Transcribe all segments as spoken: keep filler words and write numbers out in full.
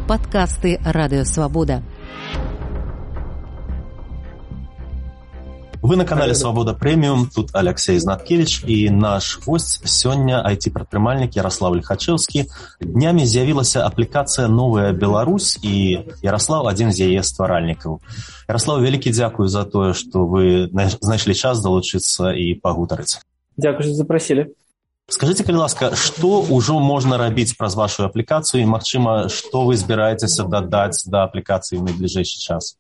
Падкасты Радыёвабода. Вы на канале «Свобода Премиум», тут Алексей Знаткевич и наш гость сёння ай ти-прадпрымальнік Ярослав Лихачевскі. Днямі з'явілася аплікацыя «Новая Беларусь» і Ярослав адзін з яе стваральнікаў. Ярослав, вялікі дзякую за тое, што вы знайшлі час далучыцца і пагутарыць. Дзякую, што запрасілі. Скажыце, калі ласка, што ўжо можна рабіць праз вашу аплікацыю і, магчыма, што вы збіраецеся дадаць да аплікацыі ў найбліжэйшы час?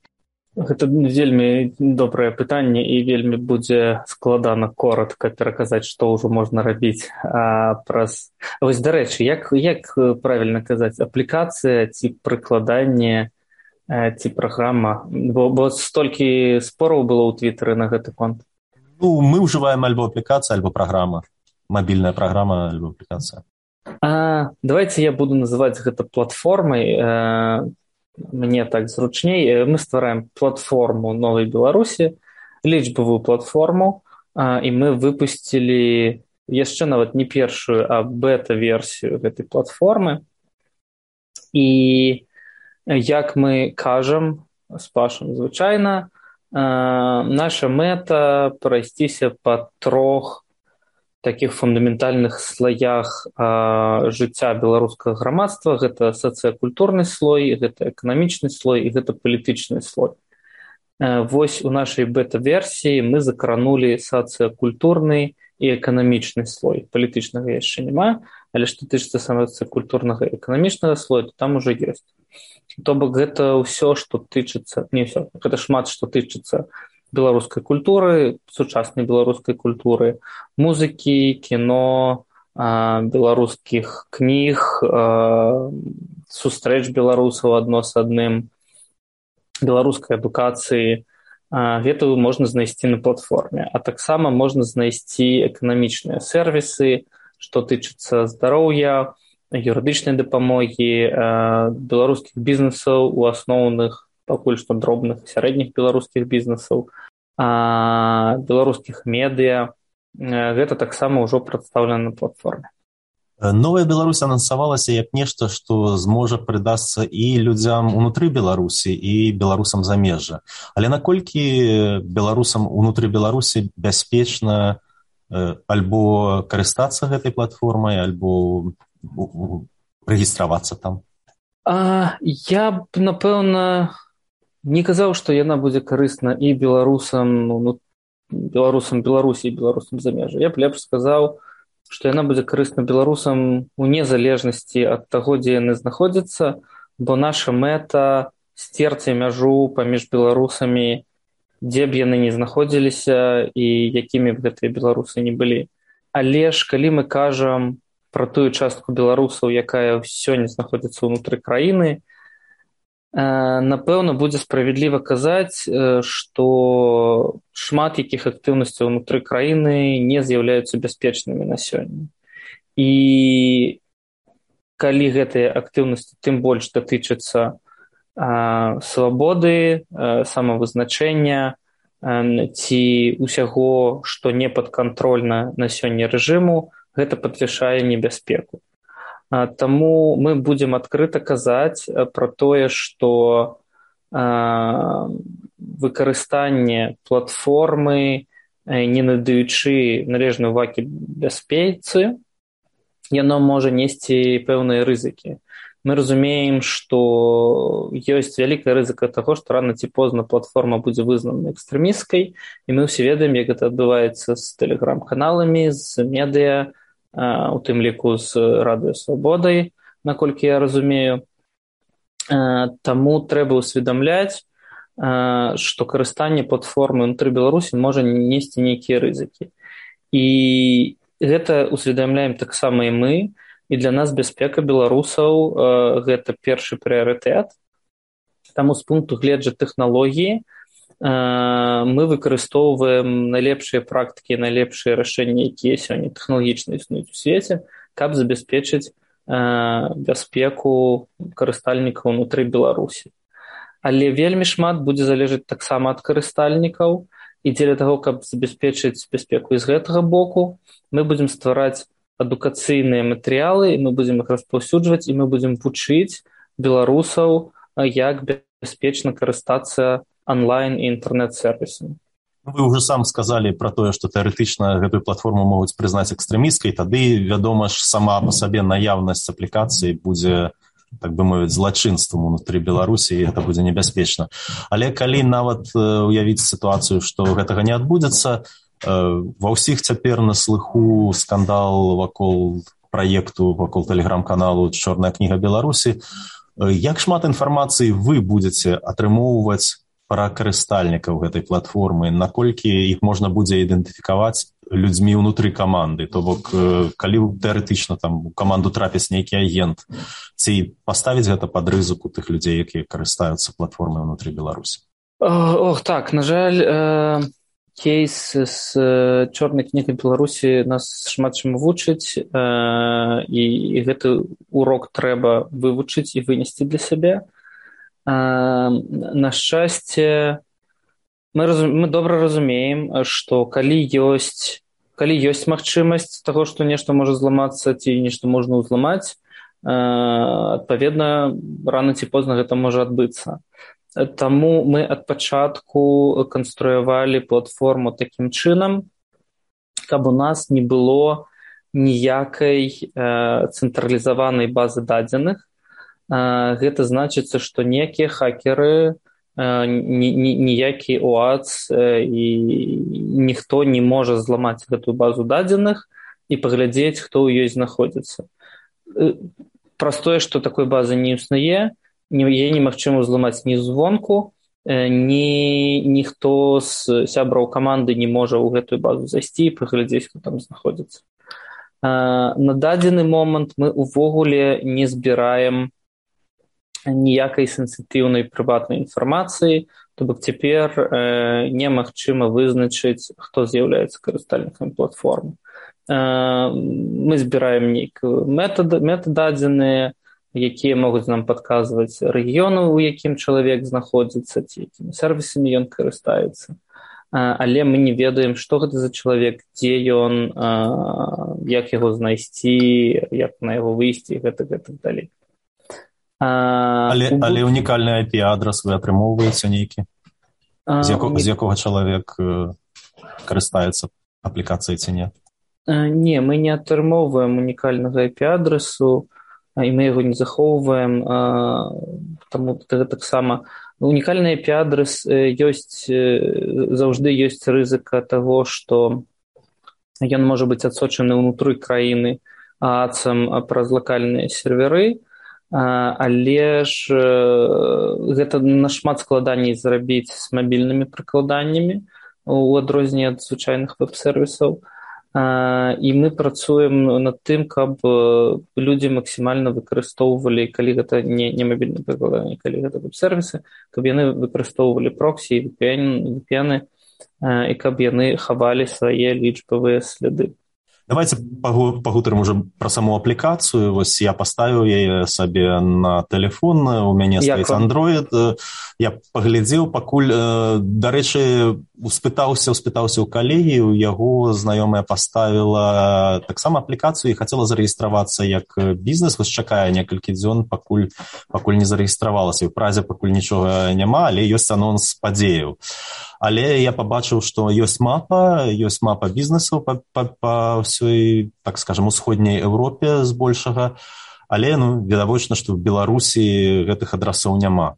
Гэта вельмі добрае пытанне і вельмі будзе складана коротка пераказаць, што ўжо можна рабіць а, праз... Вось, дарэчы, як, як правільна казаць, аплікацыя ці прыкладанне ці праграма? Бо, бо столькі спораў было ў Твітары на гэты конт. Ну, мы ўжываем альбо аплікацыя, альбо праграма. Мабільная праграма, альбо аплікацыя. А, давайте я буду называць гэта платформай. А, мне так зручней. Мы ствараем платформу Новай Беларусі, лічбавую платформу, а, і мы выпусцілі яшчэ нават не першую, а бета-версію гэтай платформы. І як мы кажам з Пашам звычайна, а, наша мэта прайсціся па трох таких фундаментальных слоях а, жыцця беларускага грамадства. Гэта сацыякультурны слой, гэта эканамічны слой і гэта палітычны слой. А, вось у нашай бета-версіі мы закранулі сацыякультурны і эканамічны слой. Палітычнага яшчэ няма, але што тычыцца сацыякультурнага і эканамічнага слоя, то там ужо ёсць. То бок гэта ўсё, што тычыцца, не ўсё, гэта шмат што тычыцца беларускай культуры, сучаснай беларускай культуры, музыкі, кіно, беларускіх кніг, сустрэч беларусаў адно з адным, беларускай адукацыі. Гэта можна знайсці на платформе. А таксама можна знайсці эканамічныя сервісы, што тычыцца здароўя, юрыдычнай дапамогі, беларускіх бізнесаў, у асноўных пакуль што дробных і сярэдніх беларускіх бізнесаў, а, беларускіх медыа. Гэта таксама ўжо прадстаўлена на платформе. Новая Беларусь анансавалася як нешта, што зможа прыдасца і людзям унутры Беларусі, і беларусам замежжа. Але наколькі беларусам унутры Беларусі бяспечна альбо карыстацца гэтай платформай, альбо рэгістравацца там? А, я б, напэўна, не казаў, што яна будзе карысна і беларусам, ну, беларусам Беларусі і беларусам замежжа. Я б лепш сказаў, што яна будзе карысна беларусам у незалежнасці ад таго, дзе яны знаходзяцца, бо наша мэта сцерці мяжу паміж беларусамі, дзе б яны не знаходзіліся і якімі б гэтыя беларусы не былі. Але ж калі мы кажам пра тую частку беларусаў, якая сёння знаходзіцца ўнутры краіны, напэўна, будзе справядліва казаць, што шмат якіх актыўнасцяў унутры краіны не з'яўляюцца бяспечнымі на сёння. І калі гэтыя актыўнасці тым больш датычацца свабоды, самавызначэння ці ўсяго, што не падкантрольна на сёння рэжыму, гэта падвышае небяспеку. Таму мы будзем адкрыта казаць пра тое, што выкарыстанне платформы, не надаючы належнай увагі бяспецы, яно можа несці пэўныя рызыкі. Мы разумеем, што ёсць вялікая рызыка таго, што рана ці позна платформа будзе вызнана экстрэмісцкай, і мы ўсе ведаем, як гэта адбываецца з тэлеграм-каналамі, з медыа, у тым ліку з Радыёвабодай, наколькі я разумею. Таму трэба ўсведамляць, што карыстанне платформы ўнутры Беларусі можа несці нейкія рызыкі. І гэта ўсведамляем таксама і мы, і для нас бяспека беларусаў гэта першы прыярытэт. Таму з пункту гледжання тэхналогіі мы выкарыстоўваем найлепшыя практыкі, найлепшыя рашэнні, якія сёння тэхналагічна існуюць у свеце, каб забяспечыць бяспеку карыстальнікаў унутры Беларусі. Але вельмі шмат будзе залежаць таксама ад карыстальнікаў, і дзеля таго, каб забяспечыць бяспеку і з гэтага боку, мы будзем ствараць адукацыйныя матэрыялы, і мы будзем іх распаўсюджваць, і мы будзем вучыць беларусаў, як бяспечна карыстацца онлайн і інтэрнэт-сервісамі. Вы ўжо сам сказалі пра тое, што тэарэтычна гэтую платформу могуць прызнаць экстрэмісцкай, тады, вядома ж, сама па сабе наяўнасць аплікацыі будзе, так бы мовіць, злачынствам унутры Беларусі, і гэта будзе небяспечна. Але калі нават уявіць сітуацыю, што гэтага не адбудзецца, ва ўсіх цяпер на слыху скандал вакол праекту, вакол тэлеграм-каналу «Чорная кніга Беларусі», як шмат інфармацыі вы будзеце атрымоўваць пра карыстальнікаў гэтай платформы, наколькі іх можна будзе ідэнтыфікаваць людзьмі ўнутры каманды, то бок калі тэарэтычна там у каманду трапіць нейкі агент, ці паставіць гэта пад рызыку тых людзей, якія карыстаюцца платформай ўнутры Беларусі? Ох, так, на жаль, э, кейс з чорнай кнігай Беларусі нас шмат чым вучыць, э, і, і гэты урок трэба вывучыць і вынесці для сябе. На шчасце, мы, разум... мы добра разумеем, што калі ёсць, калі ёсць магчымасць таго, што нешта можа зламацца ці нешта можна ўзламаць, адпаведна, рана ці позна гэта можа адбыцца. Таму мы ад пачатку канструявалі платформу такім чынам, каб у нас не было ніякай цэнтралізаванай базы дадзеных. Гэта значыцца, што некія хакеры, ніякі ОАЦ і ніхто не можа зламаць гэтую базу дадзеных і паглядзець, хто ў ёй знаходзіцца. Праз тое, што такой базы не існуе, яе немагчыма зламаць ні звонку, ні ніхто з сябраў каманды не можа ў гэтую базу зайсці і паглядзець, хто там знаходзіцца. На дадзены момант мы ўвогуле не збіраем ніякай сенсітыўнай прыватнай інфармацыі, то бок цяпер э, немагчыма вызначыць, хто з'яўляецца карыстальнікам платформы. Э, мы збіраем нейкія метададзеныя, якія могуць нам падказваць рэгіёны, у якім чалавек знаходзіцца, ці якімі сервісамі ён карыстаецца. Э, але мы не ведаем, што гэта за чалавек, дзе ён, э, як яго знайсці, як на яго выйсці, і гэта, гэта далей. Але, але унікальны ай пі-адрас вы атрымоўваеце нейкі? З, яко, з якога чалавек карыстаецца аплікацыяй ці не? Не, мы не атрымоўваем унікальнага ай пі-адрасу, і мы яго не захоўваем, таму таксама унікальны ай пі-адрас ёсць, заўжды ёсць рызыка таго, што ён можа быць адсочаны ўнутры краіны ААЦам праз лакальныя серверы, але ж гэта нашмат складаней зрабіць з мабільнымі прыкладаннямі у адрозненне ад звычайных веб-сервісаў. І мы працуем над тым, каб людзі максімальна выкарыстоўвалі, калі гэта не, не мабільныя прыкладанні, калі гэта веб-сервісы, каб яны выкарыстоўвалі проксі і ви пі эн, і каб яны хавалі свае лічбавыя сляды. Давайте пагутарым уже пра саму аплікацыю. Вось я паставіў яе сабе на тэлефон, у мяне стаіць Android. Я паглядзеў, пакуль, дарэчы, успытаўся, успытаўся ў калегі, у яго знаёмая паставіла таксама аплікацыю і хацела зарэгістравацца як бізнес. Вось чакае некалькі дзён, пакуль, пакуль не зарэгістравалася. У празе пакуль нічога няма, але ёсць анонс падзеяў. Але я пабачыў, што ёсць мапа, ёсць мапа бізнесаў па, па, па ўсёй, так скажам, усходняй Еўропе збольшага, але, ну, відавочна, што в Беларусі гэтых адрасоў няма.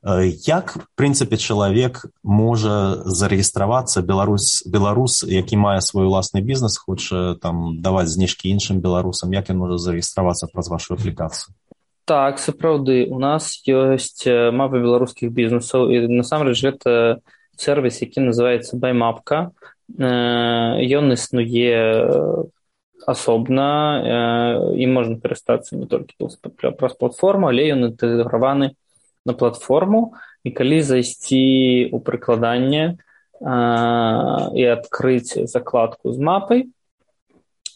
Як, в прынцыпе, чалавек можа зарэгістравацца, беларус, беларус, які мае свой уласны бізнес, хоча там даваць зніжкі іншым беларусам, як ён можа зарэгістравацца праз вашу аплікацыю? Так, сапраўды, у нас ёсць мапа беларускіх бізнесаў, і насамрэч гэта сервіс, які называецца Баймапка. Ён існуе асобна, і можна карыстацца не толькі праз платформу, але ён інтэграваны на платформу, і калі зайсці ў прыкладанне і адкрыць закладку з мапай,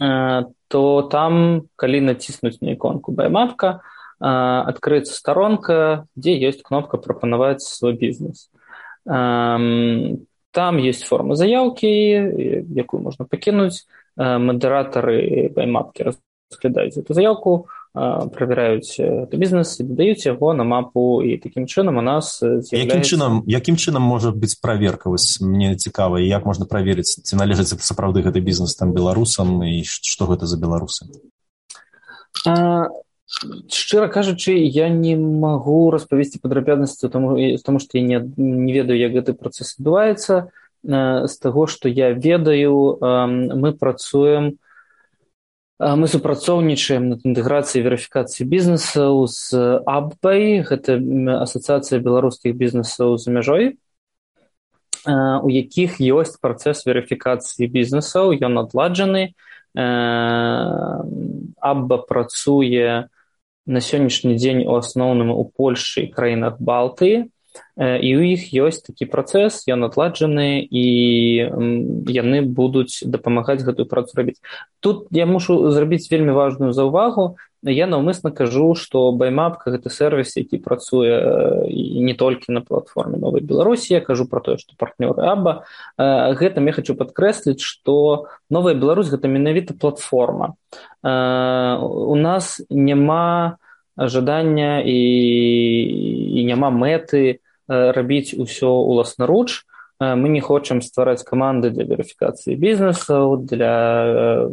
то там, калі націснуць на іконку Баймапка, адкрыецца старонка, дзе ёсць кнопка «Прапанаваць свой бізнес». Там есть форма заявки, якую можно покинуть. Модераторы Баймапки разглядаюць эту заявку, правяраюць бізнес і дадаюць яго на мапу, і такім чынам у нас з'яўляецца... Якім чынам, якім чынам можа быць праверка? Вось мне цікава, і як можна праверыць, ці належыць сапраўды гэты бізнес там беларусам, і што гэта за беларусы? А, шчыра кажучы, я не магу распавесці падрабязнасці, тому, тому што я не, не ведаю, як гэты працэс адбываецца. З таго, што я ведаю, мы працуем Мы супрацоўнічаем над інтэграцыяй і верыфікацыяй бізнесаў з АББАЙ, гэта Асацыяцыя беларускіх бізнесаў за мяжой, у якіх ёсць працэс верыфікацыі бізнесаў, ён адладжаны. АББА працуе на сённяшні дзень у асноўным у Польшчы і краінах Балтыі, і ў іх ёсць такі працэс, ён адладжаны, і яны будуць дапамагаць гэтую працу рабіць. Тут я мушу зрабіць вельмі важную заўвагу. Я наўмысна кажу, што Баймапка — гэта сервіс, які працуе і не толькі на платформе Новай Беларусі. Я кажу пра тое, што партнёры АББА. Гэтым я хочу падкрэсліць, што Новая Беларусь — гэта менавіта платформа. У нас няма жадання і, і няма мэты рабіць усё уласнаруч. Мы не хочам ствараць каманды для верыфікацыі бізнесаў, для,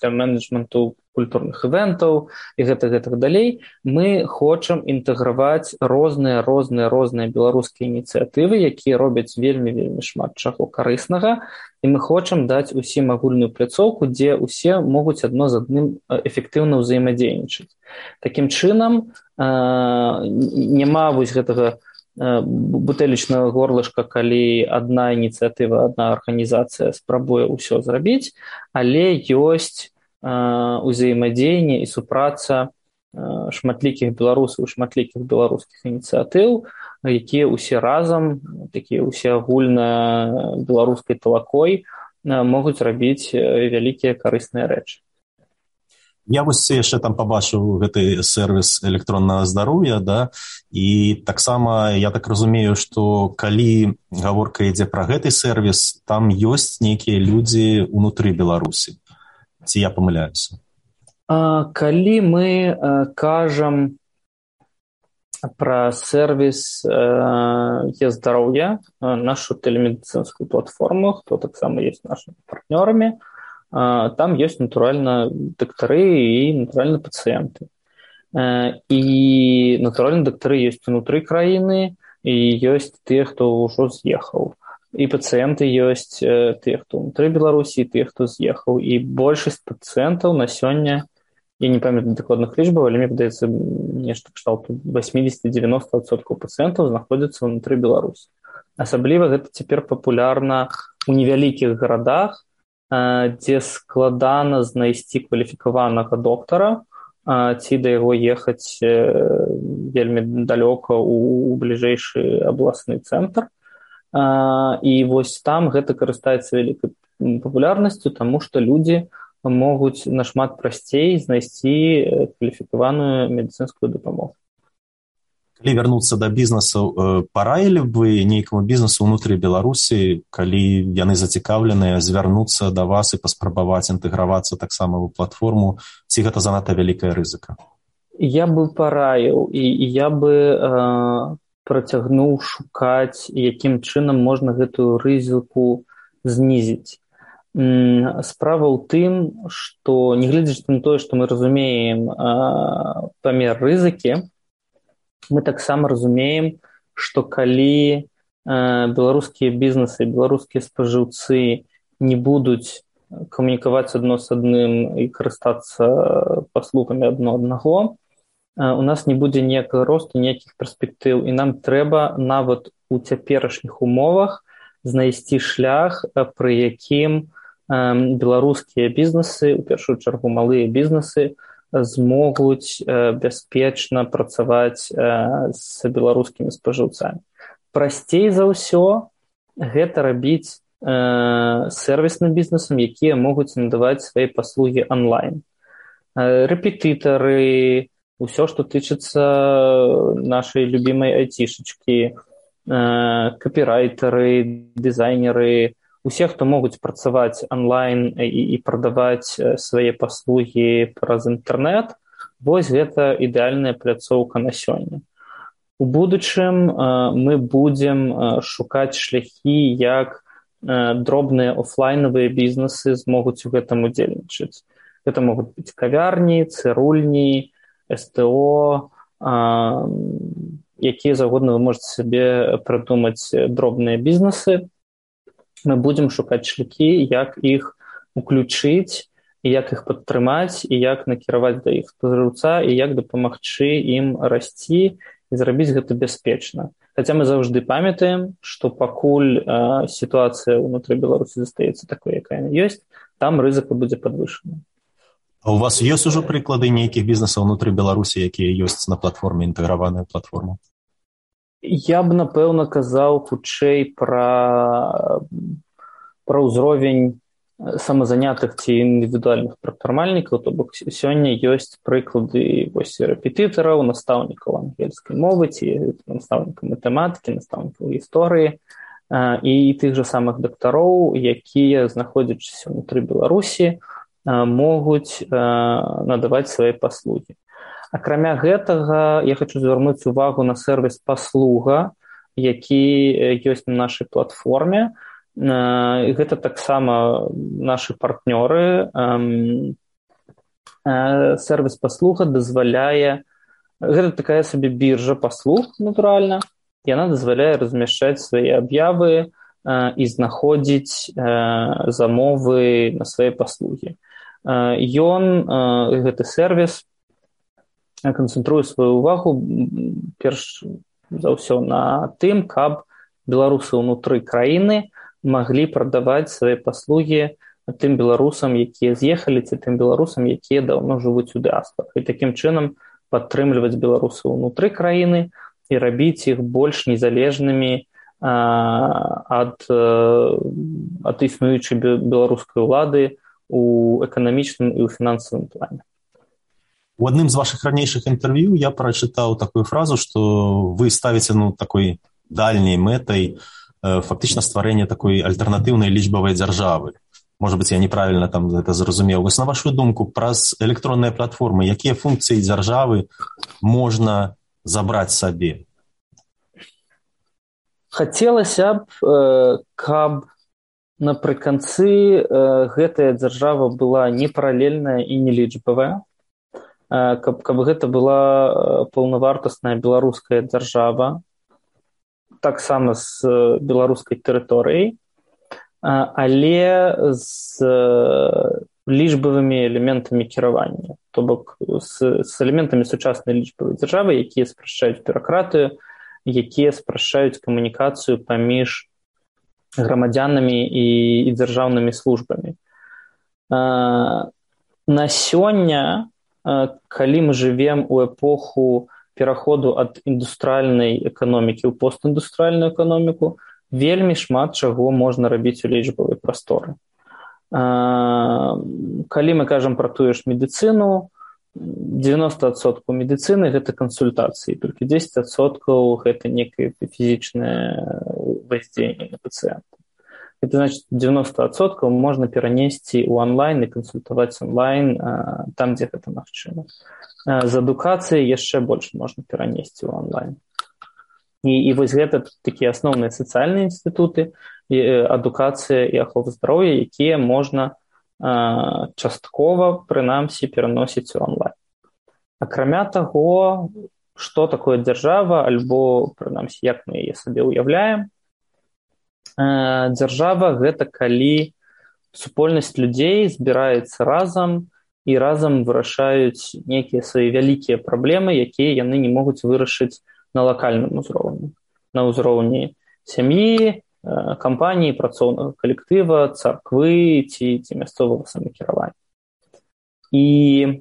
для менеджменту культурных івентаў і гэтак гэтак далей. Мы хочам інтэграваць розныя розныя розныя беларускія ініцыятывы, якія робяць вельмі вельмі шмат чаго карыснага, і мы хочам даць усім агульную пляцоўку, дзе ўсе могуць адно з адным эфектыўна ўзаемадзейнічаць. Такім чынам няма вось гэтага бутэлечнага горлышка, калі адна ініцыятыва, адна арганізацыя спрабуе ўсё зрабіць, але ёсць узаемадзеянне і супраца шматлікіх беларусаў, шматлікіх беларускіх ініцыятыў, якія ўсе разам, такія ўсе агульна беларускай талакой могуць рабіць вялікія карысныя рэчы. Я вось яшчэ там пабачыў гэты сервіс электроннага здароўя, да, і таксама я так разумею, што калі гаворка ідзе пра гэты сервіс, там ёсць нейкія людзі ўнутры Беларусі. Ці я памыляюся? Калі мы кажам пра сервіс е-здароўя, нашу тэлемедыцынскую платформу, хто таксама ёсць нашымі партнёрамі, там ёсць, натуральна, дактары і, натуральна, пацыенты. І, натуральна, дактары ёсць унутры краіны, і ёсць тыя, хто ўжо з'ехаў. І пацыенты ёсць тыя, хто ўнутры Беларусі, і тыя, хто з'ехаў. І большасць пацыентаў на сёння, я не памятаю дакладных лічбаў, але мне падаецца, нешта кшталту васьмидесяти-девяноста адсоткаў пацыентаў знаходзяцца ўнутры Беларусі. Асабліва гэта цяпер папулярна ў невялікіх гарадах, дзе складана знайсці кваліфікаванага доктара, ці да яго ехаць вельмі далёка ў бліжэйшы абласны цэнтр. І вось там гэта карыстаецца вялікай папулярнасцю, таму што людзі могуць нашмат прасцей знайсці кваліфікаваную медыцынскую дапамогу. Калі вярнуцца да бізнесу, параілі б вы нейкаму бізнесу ўнутры Беларусі, калі яны зацікаўленыя, звярнуцца да вас і паспрабаваць інтэгравацца таксама ў платформу, ці гэта занадта вялікая рызыка? Я бы параіў, і, і я бы э, працягнуў шукаць, якім чынам можна гэтую рызыку знізіць. Справа ў тым, што, нягледзячы на тое, што мы разумеем э, памер рызыкі, мы таксама разумеем, што калі э, беларускія бізнесы, беларускія спажыўцы не будуць камунікаваць адно з адным і карыстацца паслугамі адно аднаго, э, у нас не будзе ніякага росту, ніякіх перспектыў, і нам трэба нават у цяперашніх умовах знайсці шлях, пры якім э, беларускія бізнесы, у першую чаргу малыя бізнесы, змогуць э, бяспечна працаваць э, з беларускімі спажыўцамі. Прасцей за ўсё гэта рабіць э, сервісным бізнесам, якія могуць надаваць свае паслугі онлайн. Э, рэпетытары, усё, што тычыцца нашай любімай айцішачкі, э, капірайтары, дызайнеры, усе, хто могуць працаваць онлайн і, і прадаваць свае паслугі праз інтэрнэт, Вось гэта ідэальная пляцоўка на сёння. У будучым мы будзем шукаць шляхі, як дробныя офлайнавыя бізнесы змогуць у гэтым удзельнічаць. Гэта могуць быць кавярні, цырульні, эс тэ о, якія заўгодна вы можаце сабе прыдумаць дробныя бізнесы. Мы будзем шукаць шляхі, як іх уключыць, і як іх падтрымаць, і як накіраваць да іх спажыўца, і як дапамагчы ім расці і зрабіць гэта бяспечна. Хаця мы заўжды памятаем, што пакуль э, сітуацыя ўнутры Беларусі застаецца такой, якая яна ёсць, там рызыка будзе падвышана. А у вас ёсць ужо прыклады нейкіх бізнесаў унутры Беларусі, якія ёсць на платформе, інтэграваная платформа? Я б, напэўна, казаў хутчэй пра, пра ўзровень самазанятых ці індывідуальных прадпрымальнікаў, то бок сёння ёсць прыклады вось рэпетытараў, настаўнікаў ангельскай мовы ці настаўнікаў матэматыкі, настаўнікаў гісторыі і тых жа самых дактароў, якія, знаходзячыся ўнутры Беларусі, могуць надаваць свае паслугі. Акрамя гэтага, я хочу звярнуць увагу на сервіс паслуга, які ёсць на нашай платформе. Гэта таксама нашы партнёры. Сервіс паслуга дазваляе, гэта такая сабе біржа паслуг, натуральна, яна дазваляе размяшчаць свае аб'явы і знаходзіць замовы на свае паслугі. Ён, гэты сервіс, канцэнтруе сваю увагу перш за ўсё на тым, каб беларусы ўнутры краіны маглі прадаваць свае паслугі тым беларусам, якія з'ехалі, ці тым беларусам, якія даўно жывуць у дыаспарах. І такім чынам падтрымліваць беларусаў унутры краіны і рабіць іх больш незалежнымі ад, ад існуючай беларускай улады у эканамічным і ў фінансавым плане. У адным з вашых ранейшых інтэрв'ю я прачытаў такую фразу, што вы ставіце ну, такой дальняй мэтай фактычна стварэнне такой альтэрнатыўнай лічбавай дзяржавы. Можа быць, я неправільна там гэта зразумеў. Вось на вашу думку, праз электронныя платформы, якія функцыі дзяржавы можна забраць сабе? Хацелася б, каб напрыканцы гэтая дзяржава была не паралельная і не лічбавая, каб, каб гэта была паўнавартасная беларуская дзяржава, таксама з беларускай тэрыторыяй, але з лічбавымі элементамі кіравання, то бок з, з элементамі сучаснай лічбавай дзяржавы, якія спрашчаюць бюракратыю, якія спрашчаюць камунікацыю паміж грамадзянамі і, і дзяржаўнымі службамі. На сёння, калі мы жывем у эпоху пераходу ад індустрыальнай эканомікі ў постіндустрыальную эканоміку, вельмі шмат чаго можна рабіць у лічбавай прасторы. Калі мы кажам пра тую ж медыцыну, дзевяносто адсоткаў медыцыны гэта кансультацыі, толькі дзесяць адсоткаў гэта некае фізічнае воздзеянне на пацыента. Это значит, дзевяносто адсоткаў можна перанесці ў онлайн і кансультаваць онлайн там, дзе гэта магчыма. З адукацыяй яшчэ больш можна перанесці ў онлайн. І, і вось гэта такія асноўныя сацыяльныя інстытуты, адукацыя і ахова здароўя, якія можна а, часткова, прынамсі, пераносіць у онлайн. Акрамя таго, што такое дзяржава, альбо, прынамсі, як мы яе сабе ўяўляем, а, дзяржава гэта калі супольнасць людзей збіраецца разам і разам вырашаюць нейкія свае вялікія праблемы, якія яны не могуць вырашыць на лакальным узроўні. На ўзроўні сям'і, кампаніі, працоўнага калектыва, царквы ці, ці мясцовага самакіравання. І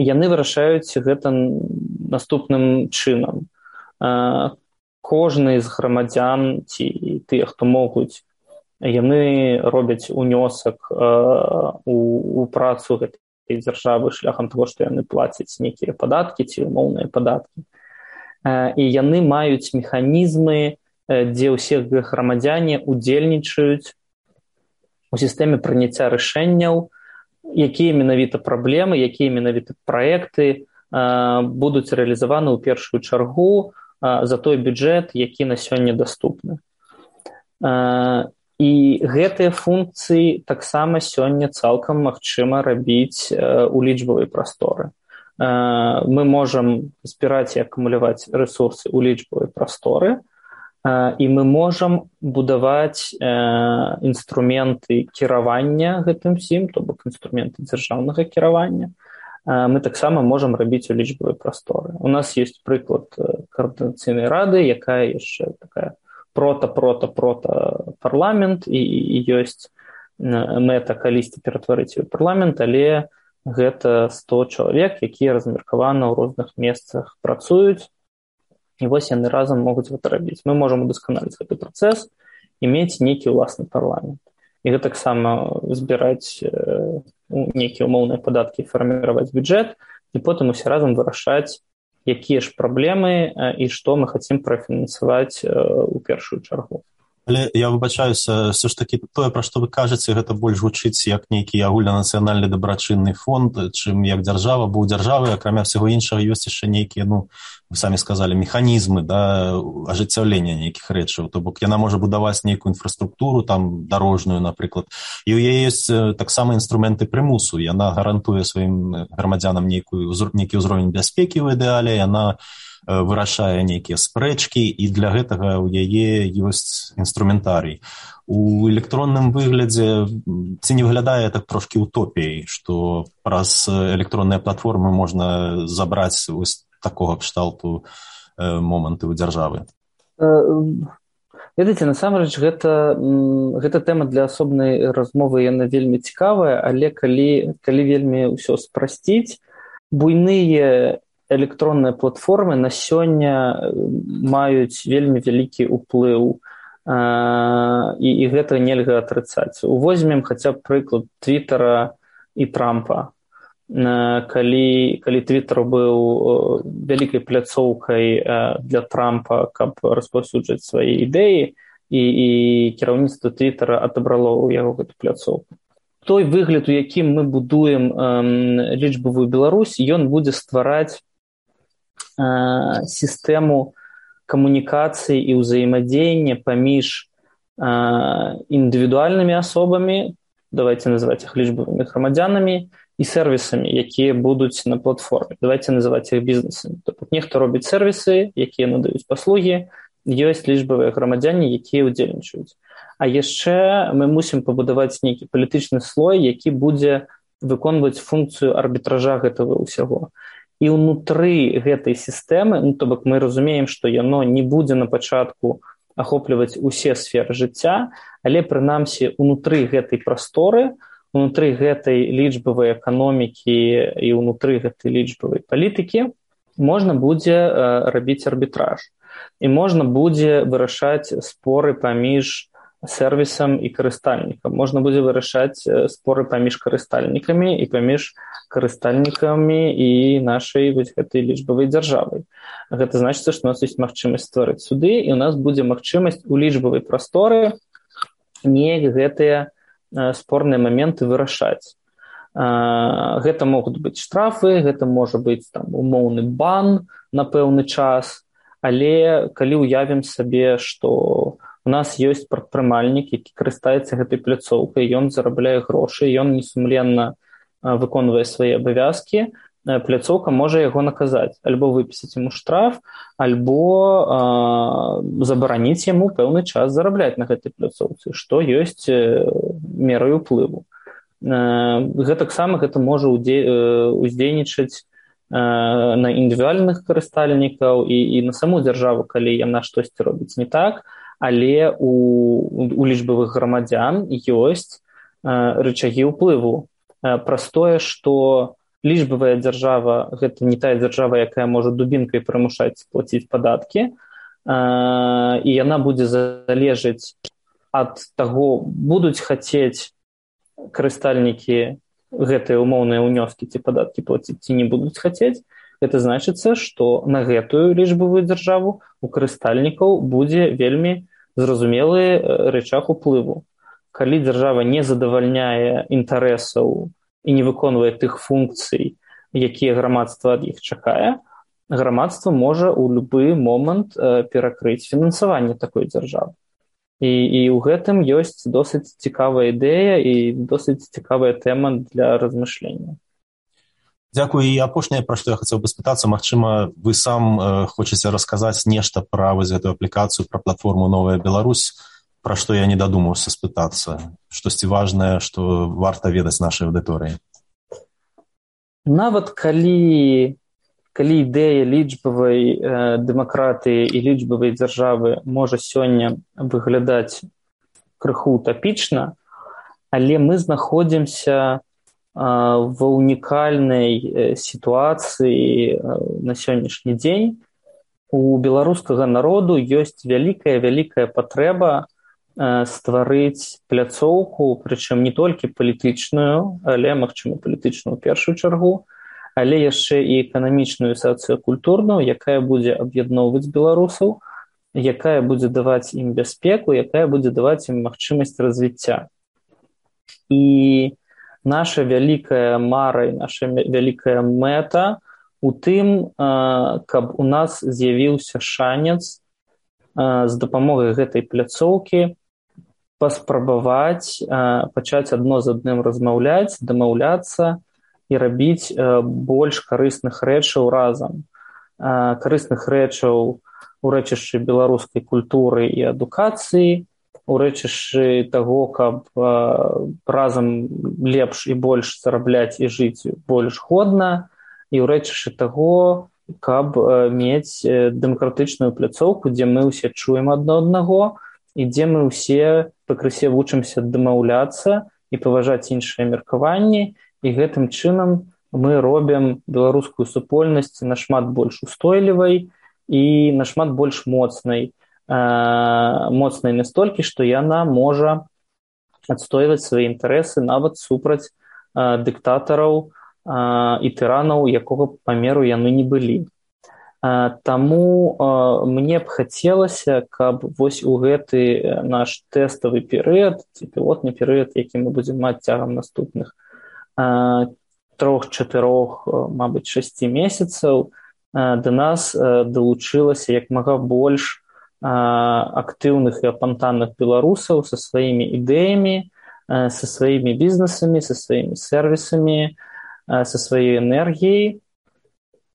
яны вырашаюць гэта наступным чынам. Кожны з грамадзян ці тыя, хто могуць, яны робяць унёсак у, у працу гэтай дзяржавы шляхам таго, што яны плацяць нейкія падаткі ці умоўныя падаткі. І яны маюць механізмы, дзе ўсе грамадзяне удзельнічаюць у сістэме прыняцця рашэнняў якія менавіта праблемы, якія менавіта праекты будуць рэалізаваны ў першую чаргу за той бюджэт, які на сёння даступны. І гэтыя функцыі таксама сёння цалкам магчыма рабіць у лічбавай прасторы. Мы можам збіраць і акумуляваць рэсурсы ў лічбавай прасторы, і мы можам будаваць інструменты кіравання гэтым всім, то бок інструменты дзяржаўнага кіравання. Мы таксама можам рабіць у лічбавай прасторы. У нас ёсць прыклад каардынацыйнай рады, якая яшчэ такая прота-прота-прота парламент, і, і ёсць мэта калісьці ператварыць у парламент, але гэта сто чалавек, якія размеркаваны ў розных месцах працуюць, і вось яны разам могуць гэта рабіць. Мы можам удасканаліць гэты працэс і мець нейкі ўласны парламент. І гэта таксама збіраць э, нейкія ўмоўныя падаткі, фарміраваць бюджэт, і потым усе разам вырашаць, якія ж праблемы э, і што мы хацім прафінансаваць э, у першую чаргу. Але я выбачаюся, все ж таки тое, пра што вы кажаце, гэта больш гучыць як нейкі агульнанацыянальны дабрачынны фонд, чым як дзяржава, бо ў дзяржавы, акрамя ўсяго іншага, ёсць яшчэ нейкія, ну, вы самі сказалі, механізмы, да, ажыццяўлення нейкіх рэчаў. То бок яна можа будаваць нейкую інфраструктуру, там, дарожную, напрыклад. І ў яе ёсць таксама інструменты прымусу. Яна гарантуе сваім грамадзянам нейкую, нейкі ўзровень бяспекі ў ідэале, яна вырашае нейкія спрэчкі, і для гэтага ў яе ёсць інструментарый. У электронным выглядзе ці не выглядае так трошкі утопіяй, што праз электронныя платформы можна забраць вось такога кшталту э, моманты ў дзяржавы? Ведаеце, насамрэч, гэта, гэта тэма для асобнай размовы, яна вельмі цікавая, але калі, калі вельмі ўсё спрасціць, буйныя электронныя платформы на сёння маюць вельмі вялікі ўплыў, і, і гэта нельга атрыцаць. Увозьмем хаця б прыклад Твиттера і Трампа. Калі, калі Твиттер быў вялікай пляцоўкай для Трампа, каб распаўсюджваць свае ідэі, і, і кіраўніцтва Твиттера адабрало ў яго гэту пляцоўку. Той выгляд, у якім мы будуем лічбавую Беларусь, ён будзе ствараць сістэму камунікацыі і ўзаемадзеяння паміж індывідуальнымі асобамі, давайте называць іх лічбавымі грамадзянамі, і сервісамі, якія будуць на платформе. Давайте называць іх бізнесамі. Тобто нехто робіць сервісы, якія надаюць паслугі, ёсць лічбавыя грамадзяне, якія ўдзельнічаюць. А яшчэ мы мусім пабудаваць нейкі палітычны слой, які будзе выконваць функцыю арбітража гэтага ўсяго. І ўнутры гэтай сістэмы, ну, то бок мы разумеем, што яно не будзе на пачатку ахопліваць усе сферы жыцця, але прынамсі ўнутры гэтай прасторы, унутры гэтай лічбавай эканомікі і ўнутры гэтай лічбавай палітыкі можна будзе э, рабіць арбітраж. І можна будзе вырашаць споры паміж сервісам і карыстальнікам. Можна будзе вырашаць споры паміж карыстальнікамі і паміж карыстальнікамі і нашай вось гэтай лічбавай дзяржавай. Гэта значыць, што у нас ёсць магчымасць стварыць суды, і у нас будзе магчымасць у лічбавай прасторы неяк гэтыя спорныя моменты вырашаць. Гэта могуць быць штрафы, гэта можа быць там умоўны бан на пэўны час, але калі ўявім сабе, што у нас ёсць прадпрымальнік, які карыстаецца гэтай пляцоўкай, ён зарабляе грошы, ён несумленна выконвае свае абавязкі, пляцоўка можа яго наказаць, альбо выпісаць яму штраф, альбо э, забараніць яму пэўны час зарабляць на гэтай пляцоўцы, што ёсць мерай уплыву. Э, гэтаксама гэта можа уздзейнічаць э, на індывідуальных карыстальнікаў і, і на саму дзяржаву, калі яна штосьці робіць не так, але у, у лічбавых грамадзян ёсць э, рычагі ўплыву. Э, праз тое, што лічбавая дзяржава – гэта не тая дзяржава, якая можа дубінкай прымушаць плаціць падаткі, і яна будзе залежаць ад таго, будуць хацець карыстальнікі гэтыя умоўныя ўнёскі ці падаткі плаціць, ці не будуць хацець. Гэта значыцца, што на гэтую лічбавую дзяржаву у карыстальнікаў будзе вельмі зразумелы рычаг уплыву. Калі дзяржава не задавальняе інтарэсаў і не выконвае тых функцый, якія грамадства ад іх чакае, грамадства можа ў любы момант перакрыць фінансаванне такой дзяржавы. І, і ў гэтым ёсць досыць цікавая ідэя і досыць цікавая тэма для размышлення. Дзякую. І апошняе, пра што я хацеў бы спытацца, магчыма, вы сам э, хочаце расказаць нешта пра вось гэтую аплікацыю, пра платформу «Новая Беларусь», пра што я не дадумаўся спытацца, штосьці важнае, што варта ведаць нашай аўдыторыі. Нават калі, калі ідэя лічбавай э, дэмакратыі і лічбавай дзяржавы можа сёння выглядаць крыху утапічна, але мы знаходзімся в унікальнай сітуацыі на сённяшні дзень. У беларускага народу ёсць вялікая-вялікая патрэба стварыць пляцоўку, прычым не толькі палітычную, але, магчыма, палітычную ў першую чаргу, але яшчэ і эканамічную, сацыякультурную, якая будзе аб'ядноўваць беларусаў, якая будзе даваць ім бяспеку, якая будзе даваць ім магчымасць развіцця. І наша вялікая мара і наша вялікая мэта у тым, каб у нас з'явіўся шанец з дапамогай гэтай пляцоўкі паспрабаваць пачаць адно з адным размаўляць, дамаўляцца і рабіць больш карысных рэчаў разам. Карысных рэчаў у рэчышчы беларускай культуры і адукацыі, у рэчышчы таго, каб разам лепш і больш зарабляць і жыць больш годна, і ў рэчышчы таго, каб мець дэмакратычную пляцоўку, дзе мы ўсе чуем адно аднаго і дзе мы ўсе пакрысе вучымся дамаўляцца і паважаць іншыя меркаванні, і гэтым чынам мы робім беларускую супольнасць нашмат больш устойлівай і нашмат больш моцнай, моцнай настолькі, што яна можа адстойваць свае інтарэсы нават супраць дыктатараў і тыранаў, якога памеру яны не былі. Таму мне б хацелася, каб вось у гэты наш тэставы перыяд, ці пілотны перыяд, які мы будзем маць цягам наступных трох-чатырох, мабыць, шасці месяцаў, да нас далучылася як мага больш актыўных і апантанных беларусаў са сваімі ідэямі, са сваімі бізнесамі, са сваімі сервісамі, са сваёй энергіяй.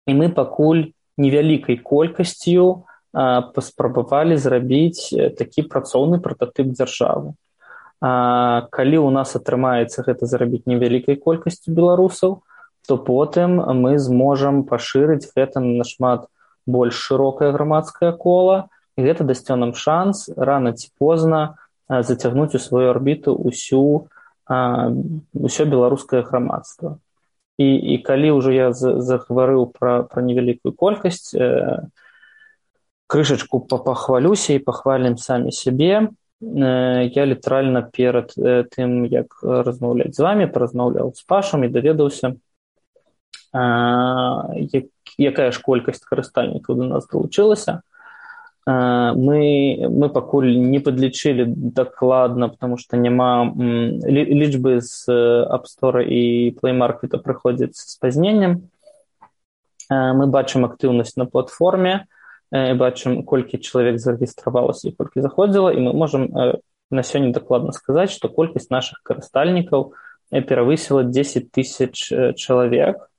І мы пакуль невялікай колькасцю паспрабавалі зрабіць такі працоўны прататып дзяржавы. Калі ў нас атрымаецца гэта зрабіць невялікай колькасцю беларусаў, то потым мы зможам пашырыць гэта на нашмат больш шырокае грамадскае кола, і гэта дасце нам шанс рана ці позна зацягнуць у сваю арбіту ўсю, ўсё беларускае грамадства. І, і калі ўжо я загаварыў пра, пра невялікую колькасць, крышачку пахвалюся і пахвалім самі сябе. Я літаральна перад тым, як размаўляць з вамі, паразмаўляў з Пашам і даведаўся, якая ж колькасць карыстальнікаў до нас далучылася. Мы, мы пакуль не падлічылі дакладна, потому што няма лічбы з App Store і Play Market прыходзяць з спазненнем. Мы бачым актыўнасць на платформе, бачым, колькі чалавек зарэгістравалася і колькі заходзіла, і мы можам на сёння дакладна сказаць, што колькасць нашых карыстальнікаў перавысіла дзесяць тысяч чалавек,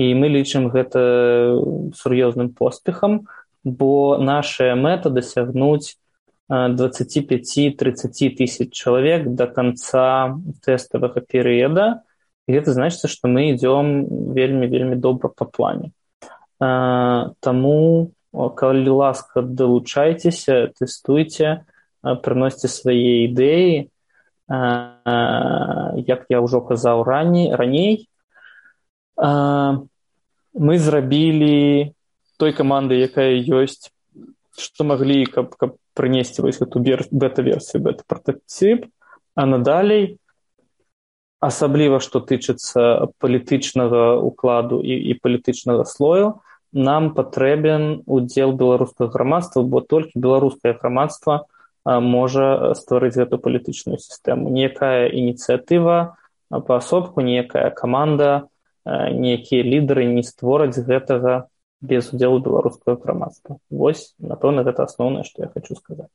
і мы лічым гэта сур'ёзным поспехам, бо наша мэта дасягнуць дваццаць пяць - трыццаць тысяч чалавек да канца тэставага перыяда, і гэта значыць, што мы ідзём вельмі-вельмі добра па плане. Таму, калі ласка, далучайцеся, тэстуйце, прыносьце свае ідэі. Як я ўжо казаў раней, мы зрабілі той каманды, якая ёсць, што маглі, каб, каб прынесці вось гэту бета-версію, бета-прататып, а надалей, асабліва, што тычыцца палітычнага укладу і, і палітычнага слою, нам патрэбен удзел беларускага грамадства, бо толькі беларускае грамадства можа стварыць гэту палітычную сістэму. Ніякая ініцыятыва паасобку, ніякая каманда, ніякія лідары не створаць гэтага без удзелу беларускага грамадства. Вось, напэўна, гэта асноўнае, што я хочу сказаць.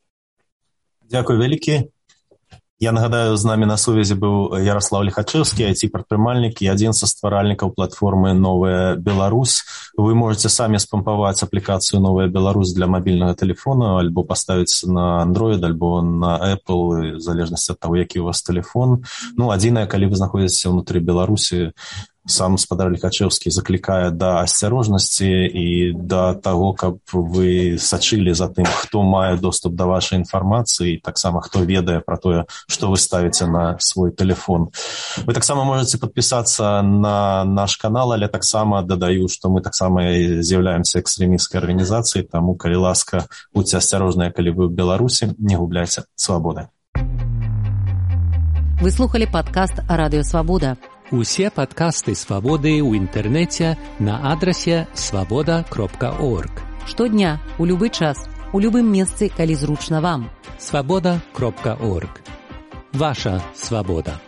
Дзякуй вялікі. Я нагадаю, з намі на сувязі быў Ярослав Лихачевскі, ай ти-прадпрымальнік і адзін са стваральнікаў платформы «Новая Беларусь». Вы можете самі спампаваць аплікацыю «Новая Беларусь» для мабільнага тэлефона, альбо паставіць на Android, альбо на Apple, в залежнасці ад таго, які у вас тэлефон. Ну, адзінае, калі вы знаходзіцеся ўнутры Беларусі, сам спадар Лихачевскі заклікае да асцярожнасці і да таго, каб вы сачылі за тым, хто мае доступ да вашай інфармацыі, і таксама хто ведае пра тое, што вы ставіце на свой тэлефон. Вы таксама можете падпісацца на наш канал, але таксама дадаю, што мы таксама з'яўляемся экстрэмісцкай арганізацыяй, таму, калі ласка, будьце асцярожныя, калі вы ў Беларусі, не губляйце свабоды. Вы слухали падкаст «Радыё Свабода». Усе падкасты «Свабоды» ў інтэрнэце на адрасе свабода кропка орг. Штодня, у любы час, у любым месцы, калі зручна вам. свабода кропка орг. Ваша свабода.